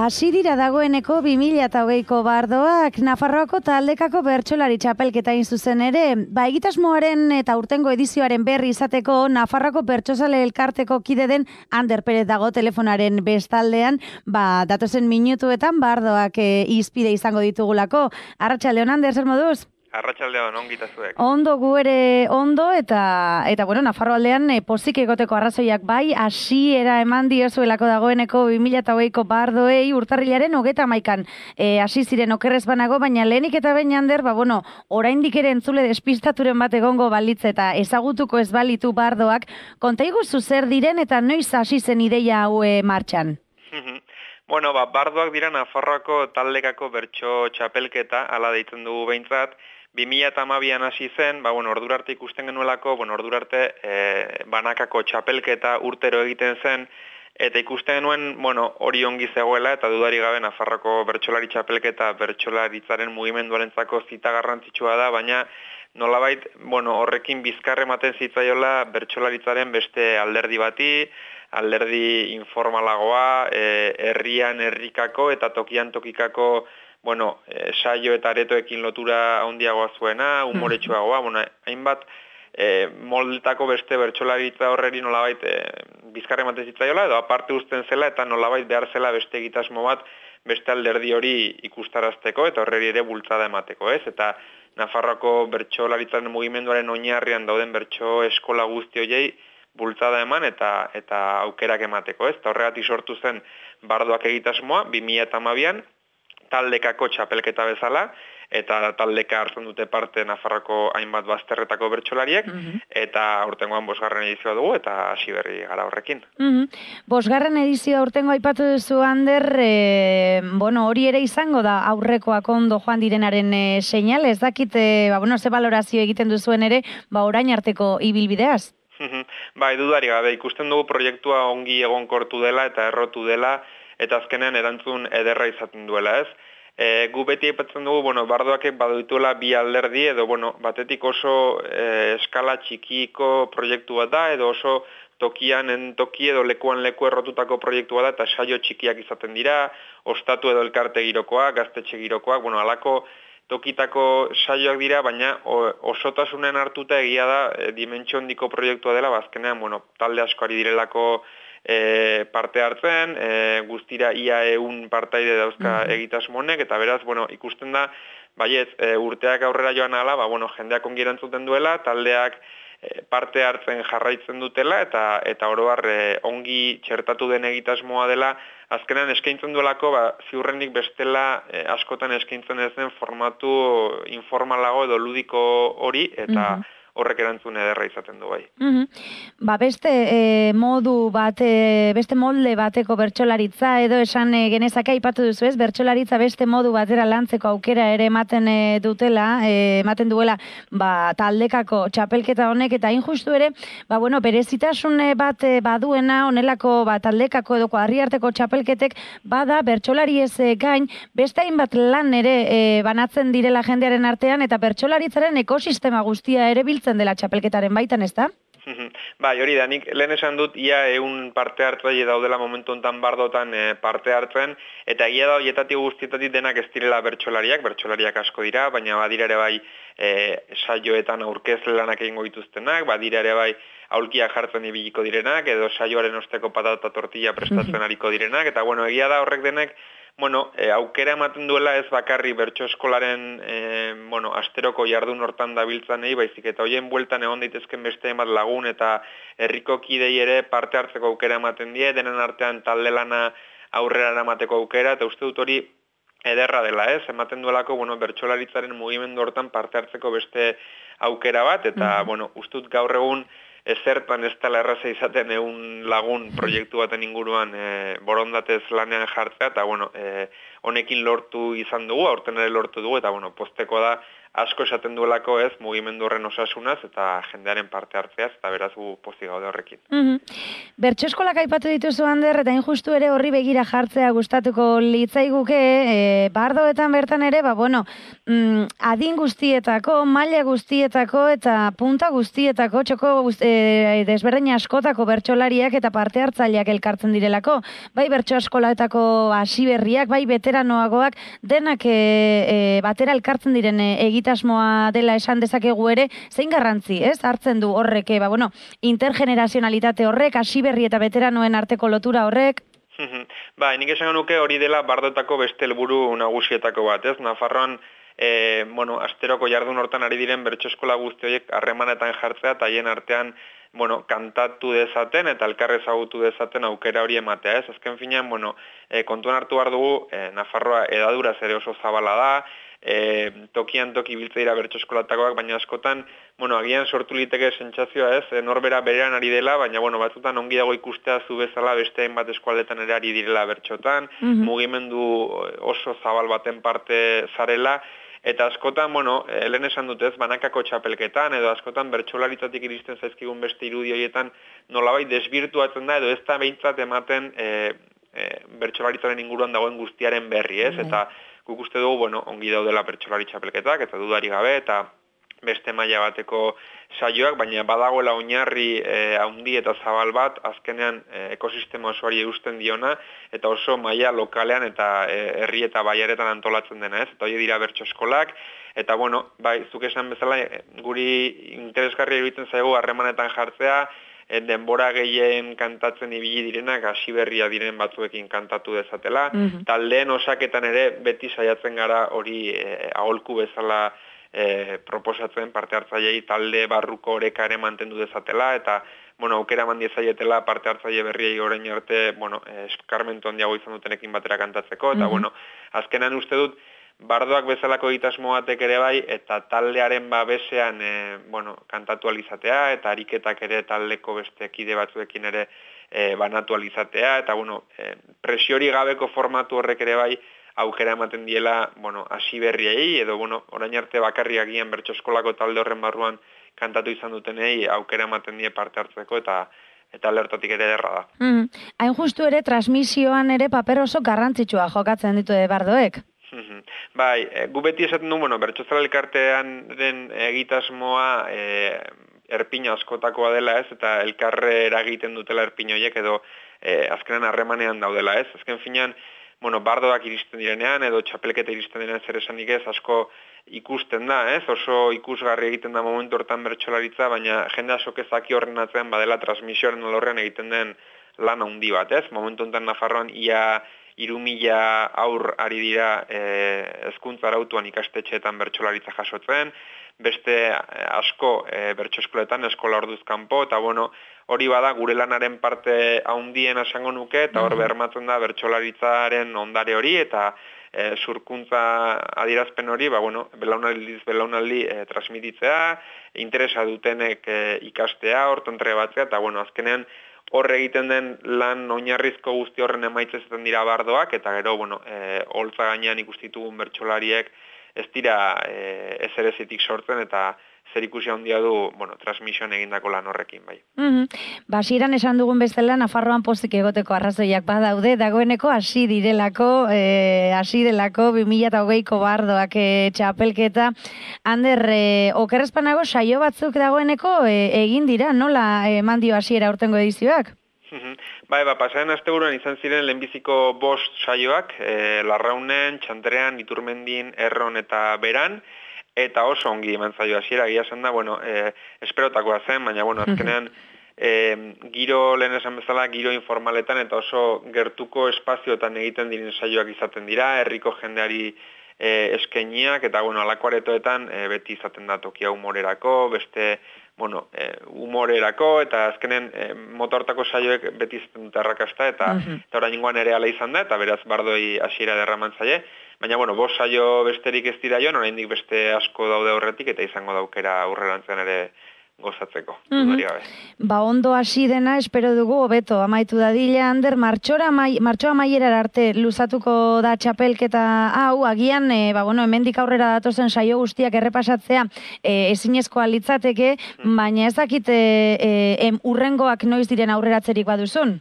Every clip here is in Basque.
Hasi dira dagoeneko 2020ko bardoak Nafarroako taldekako bertsolari txapelketa hain zuzen ere. Egitasmoaren eta urtengo edizioaren berri izateko Nafarroako bertsozale elkarteko kide den Ander Perez dago telefonaren bestaldean, datozen minutuetan bardoak izpide izango ditugulako. Arratsaldeon Ander, zer moduz? Arratsaldeon, ongita zuek. Ondo, gu ere ondo, eta bueno, Nafarro aldean pozik egoteko arrazoiak bai, hasiera eman diozuelako dagoeneko 2020ko bardoei urtarrilaren 31an hasi ziren okerrez banago, baina lehenik eta behin Ander, oraindik ere entzule despistaturen bat egongo balitz eta ezagutuko ez balitu bardoak, konta iguzu zer diren eta noiz hasi zen ideia hau martxan? Bardoak dira Nafarroako taldekako bertso txapelketa, hala deitzen dugu behintzat. 2012an hasi zen, ordura arte ikusten genuelako, ordura arte banakako txapelketa urtero egiten zen, eta ikusten genuen, hori ongi zegoela, eta dudari gabe Nafarroako bertsolari txapelketa bertsolaritzaren mugimenduarentzako zita garrantzitsua da, baina nolabait, horrekin bizkarre ematen zitzaiola bertsolaritzaren beste alderdi bati, alderdi informalagoa, herrian herrikako eta tokian tokikako saio eta aretoekin lotura handiagoa zuena, umoretsuagoa, hainbat moldetako beste bertsolaritza horreri nolabait bizkarre ematen zitzaiola, edo aparte uzten zela eta nolabait behar zela beste egitasmo bat beste alderdi hori ikustarazteko eta horreri ere bultzada emateko, ez? Eta Nafarroako bertsolaritzaren mugimenduaren oinarrian dauden bertso eskola guzti horiei bultzada eman eta aukerak emateko, ez? Eta horregatik sortu zen bardoak egitasmoa 2012an, taldekako txapelketa bezala, eta taldeka hartzen dute parte Nafarroko hainbat bazterretako bertsolariek, eta aurtengoan 5. edizioa dugu, eta hasi berri gara horrekin. 5. edizioa aurtengo aipatu duzu, Ander, hori ere izango da aurrekoak ondo joan direnaren seinale, ez dakit, ze balorazio egiten duzuen ere, orain arteko ibilbideaz? Dudari gabe, ikusten dugu proiektua ongi egonkortu dela eta errotu dela, eta azkenean erantzun ederra izaten duela, ez? Gu beti aipatzen dugu, bardoak badituela bi alderdi, edo batetik oso eskala txikiko proiektu bat da, edo oso tokian toki edo lekuan leku errotutako proiektu bat da, eta saio txikiak izaten dira, ostatu edo elkarte girokoak, gaztetxe girokoak, alako tokitako saioak dira, baina osotasunen hartuta egia da dimentsio handiko proiektua dela, azkenean, talde asko ari direlako parte hartzen, guztira ia 100 partaide dauzka egitasmo honek, eta beraz, ikusten da, urteak aurrera joan ala, jendeak ongi erantzuten duela, taldeak parte hartzen jarraitzen dutela, eta oroar ongi txertatu den egitasmoa dela, azkenean eskaintzen duelako, ziurrenik bestela askotan eskaintzen ez den formatu informalago edo ludiko hori, eta horrek erantzun ederra izaten du bai. Beste beste molde bateko bertsolaritza edo esan genezake aipatu duzu ez, bertsolaritza beste modu batera lantzeko aukera ere ematen duela taldekako txapelketa honek, eta injustu ere, berezitasun bat baduena honelako taldekako edo kuadriarteko txapelketek bada bertsolari ez gain, beste hainbat lan ere banatzen direla jendearen artean, eta bertsolaritzaren ekosistema guztia ere biltzen dela txapelketaren baitan, ez da? Hori da, nik lehen esan dut, ia 100 parte hartzaile daudela momentu honetan bardotan parte hartzen, eta egia da horietatik guztietatik denak ez direla bertsolariak asko dira, baina badira ere bai saioetan aurkezle lanak egingo dituztenak, badira ere bai aulkiak jartzen ibiliko direnak, edo saioaren osteko patata tortilla prestatzen ariko direnak, eta egia da horrek denek aukera ematen duela ez bakarri bertso eskolaren asteroko jardun hortan dabiltzanei, baizik eta hoien bueltan egon daitezken beste emat lagun eta herriko kidei ere parte hartzeko aukera ematen die, denen artean talde lana aurrera eramateko aukera, eta uste dut hori ederra dela, ez? Ematen duelako bertsolaritzaren mugimendu hortan parte hartzeko beste aukera bat, eta uste dut gaur egun ezertan ez dela erraza izaten 100 lagun proiektu baten inguruan borondatez lanean jartzea, eta honekin lortu izan dugu, aurten ere lortu dugu, eta posteko da asko esaten duelako ez mugimendu horren osasunaz eta jendearen parte hartzeaz, eta beraz gu pozik gaude horrekin. Bertso eskolak aipatu dituzu, Ander, eta injustu ere horri begira jartzea gustatuko litzaiguke, bardoetan bertan ere, adin guztietako, maila guztietako eta punta guztietako, txoko desberdin askotako bertsolariak eta parte hartzaileak elkartzen direlako. Bai bertso eskolatako hasiberriak, bai veteranoagoak, denak batera elkartzen diren egitasmoa dela esan dezakegu ere, zein garrantzi, ez? Hartzen du horrek, intergenerazionalitate horrek, hasiberri eta veteranoen arteko lotura horrek? Nik esan nuke hori dela bardoetako beste helburu nagusietako bat, ez? Nafarroan, asteroko jardun hortan ari diren bertso eskola guzti horiek harremanetan jartzea, eta haien artean, kantatu dezaten eta elkar ezagutu dezaten aukera hori ematea, ez? Azken finean, kontuan hartu behar dugu, Nafarroa edaduraz ere oso zabala da, tokian toki biltze dira bertso eskolatakoak, baina askotan, agian sortu liteke sentsazioa, ez? Norbera berean ari dela, baina, batzutan ongi dago ikustea zu bezala beste hainbat eskualdetan ere ari direla bertsotan, mugimendu oso zabal baten parte zarela, eta askotan, lehen esan dut ez, banakako txapelketan, edo askotan bertsolaritzatik iristen zaizkigun beste irudi horietan nolabait desbirtuatzen da, edo ez da behintzat ematen bertsolaritzaren inguruan dagoen guztiaren berri, ez? Eta guk uste dugu, ongi daudela bertsolari txapelketak, eta dudari gabe, eta beste maila bateko saioak, baina badagoela oinarri handi eta zabal bat, azkenean ekosistema osoari eusten diona, eta oso maila lokalean eta herri eta baiaretan antolatzen dena, ez? Eta hori dira bertso eskolak, eta zuk esan bezala, guri interesgarria iruditzen zaigu harremanetan jartzea, denbora gehien kantatzen ibili direnak, hasiberria diren batzuekin kantatu dezatela, taldeen osaketan ere beti saiatzen gara hori aholku bezala proposatzen parte hartzailei talde barruko oreka ere mantendu dezatela, eta aukera eman diezaietela parte hartzaile berriei orain arte, eskarmentu handiago izan dutenekin batera kantatzeko, eta azkenan uste dut, bardoak bezalako egitasmo batek ere bai, eta taldearen babesean kantatu alizatea, eta ariketak ere taldeko beste kide batzuekin ere banatu alizatea, eta presiori gabeko formatu horrek ere bai, aukera ematen diela, hasiberriei, edo, orain arte bakarriak gian bertso eskolako talde horren barruan kantatu izan dutenei, aukera ematen die parte hartzeko, eta lertotik ere derra da. Hain justu ere, transmisioan ere paper oso garrantzitsua jokatzen ditu bardoek? Bai, gu beti esaten du, bertsozala elkartean den egitasmoa erpina askotakoa dela, ez, eta elkarre eragiten dutela erpin horiek, edo azkenan harremanean daudela, ez. Azken finean, bardoak iristen direnean, edo txapelketa iristen direnean zer esanik ez, asko ikusten da, ez? Oso ikusgarri egiten da momentu hortan bertsolaritza, baina jende asok ezaki horren atzean badela transmisioaren olorrean egiten den lan handi bat, ez? Momentu honetan Nafarroan ia 3.000 aur ari dira hezkuntza arautuan ikastetxeetan bertsolaritza jasotzen, beste asko bertso eskoletan eskola orduz kanpo, eta hori bada gure lanaren parte handien esango nuke, eta hor bermatzen da bertsolaritzaren ondare hori, eta zurkuntza adierazpen hori, belaunaldi transmititzea, interesa dutenek ikastea, horton trebatzea, eta azkenean horre egiten den lan oinarrizko guzti horren emaitza izaten dira bardoak, eta gero, holtza gainean ikustitugun bertsolariek ez dira ezerezitik sortzen, eta zer ikusi handia du, transmisioan egindako lan horrekin, bai. Hasieran esan dugun bezala, Nafarroan pozik egoteko arrazoiak badaude, dagoeneko hasi delako 2020ko bardoak txapelketa. Ander, okerrezpanago saio batzuk dagoeneko egin dira, nola eman dio hasiera aurtengo edizioak? Bai, pasaren asteburuan izan ziren lehenbiziko 5 saioak, Larraunen, Txantrean, Iturmendin, Erron eta Beran, eta oso ongi eman zaio hasiera, egia esan da, esperotakoa zen, baina, azkenean, giro, lehen esan bezala, giro informaletan eta oso gertuko espazioetan egiten diren saioak izaten dira, herriko jendeari eskainiak, eta, alako aretoetan beti izaten da tokia humorerako, beste, humorerako, eta azkenen motortako saioek beti izaten dute arrakasta, eta orain ingoan ere ala izan da, eta beraz bardoi hasiera derraman zaie, baina, 5 saio besterik ez dira joan, oraindik beste asko daude horretik, eta izango daukera aurrerantzean ere gozatzeko, dudari gabe. Ba, ondo hasi dena, espero dugu, hobeto, amaitu dadila, Ander, martxoa amaierara arte luzatuko da txapelketa hau, agian, hemendik aurrera datozen saio guztiak errepasatzea ezinezkoa litzateke, baina ez dakit urrengoak noiz diren aurreratzerik baduzun?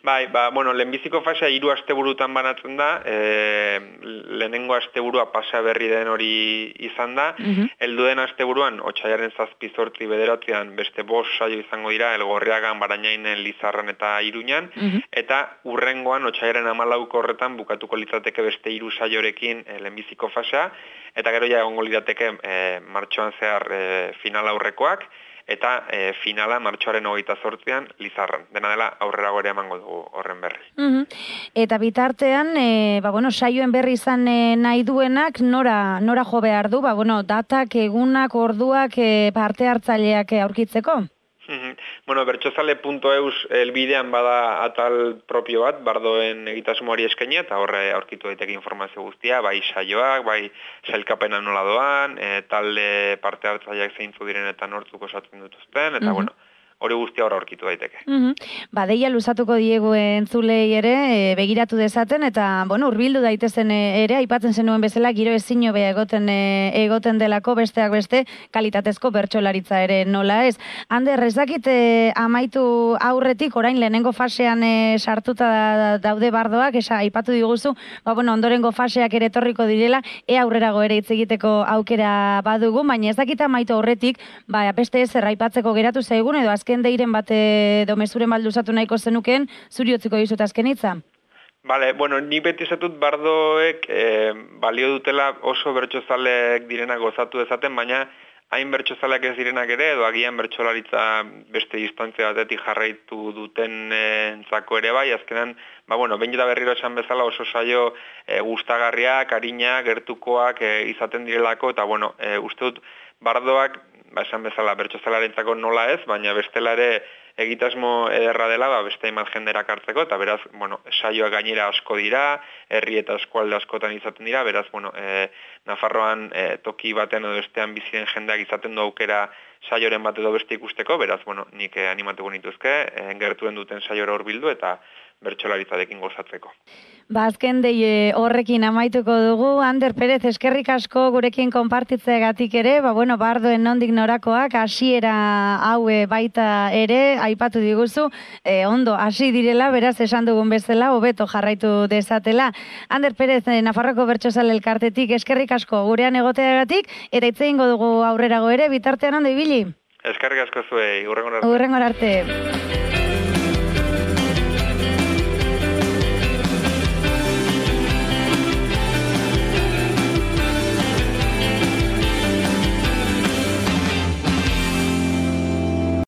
Bai, lehenbiziko fasea 3 asteburutan banatzen da, lehenengo asteburua pasa berri den hori izan da, heldu den asteburuan, otsailaren 7-8 bederatzean beste 5 saio izango dira, Elgorriagan, Barainainen, Lizarran eta Iruñan, eta urrengoan, otsailaren 14 horretan bukatuko litzateke beste 3 saiorekin lehenbiziko fasea, eta gero ja egongo lirateke martxoan zehar final aurrekoak, eta finala martxoaren 28an Lizarran. Dena dela aurrera gore emango dugu horren berri. Eta bitartean, saioen berri izan nahi duenak, nora jo behar du? Datak, egunak, orduak, parte hartzaileak aurkitzeko? Bertsozale.eus elbidean bada atal propio bat, bardoen egitasmoari eskainia, eta horre aurkitu daiteke informazio guztia, bai saioak, bai sailkapena nola doan, talde parte hartzaileak zeintzu diren eta nortzuk osatzen dutuzten, eta hori guztia hor aurkitu daiteke. Deia luzatuko diegu entzulei ere, begiratu dezaten, eta, hurbildu daitezen ere, aipatzen zenuen bezala, giro ezin hobea egoten delako besteak beste, kalitatezko bertsolaritza ere nola ez. Ander, ez dakit amaitu aurretik, orain lehenengo fasean sartuta daude bardoak, aipatu diguzu, ondorengo faseak ere etorriko direla, aurrerago ere hitz egiteko aukera badugu, baina ez dakit amaitu aurretik, beste ezer aipatzeko geratu zaigun, edo azken deiren bat mezuren balduzatu nahiko zenuken, zuri utziko dizut azken hitza? Ni beti esatut bardoek balio dutela oso bertsozaleek direnak gozatu dezaten, baina hain bertsozaleak ez direnak ere, edo agian bertsolaritza beste distantzia batetik jarraitu duten entzako ere bai, azkenan, behin eta berriro esan bezala oso saio gustagarriak, arinak, gertukoak izaten direlako, eta uste dut bardoak, esan bezala bertsozalarentzako nola ez, baina bestela ere egitasmo ederra dela, beste hainbat jendera hartzeko, eta beraz, saioak gainera asko dira, herri eta eskualde askotan izaten dira, beraz, Nafarroan toki baten edo bestean biziren jendeak izaten du aukera saioren bat edo beste ikusteko, beraz, nik animatuko nituzke, gertuen duten saiora hurbildu eta bertsolaritzarekin gozatzeko. Azken dei horrekin amaituko dugu. Ander Perez, eskerrik asko gurekin konpartitzeagatik ere, bardoen nondik norakoak, hasiera hau baita ere, aipatu diguzu, ondo hasi direla, beraz esan dugun bezala, hobeto jarraitu dezatela. Ander Perez, Nafarroko Bertsozale Elkartetik, eskerrik asko gurean egoteagatik, eta hitz egingo dugu aurrerago ere, bitartean ondo ibili. Eskerrik asko zuei, hurrengora arte. Hurrengora arte.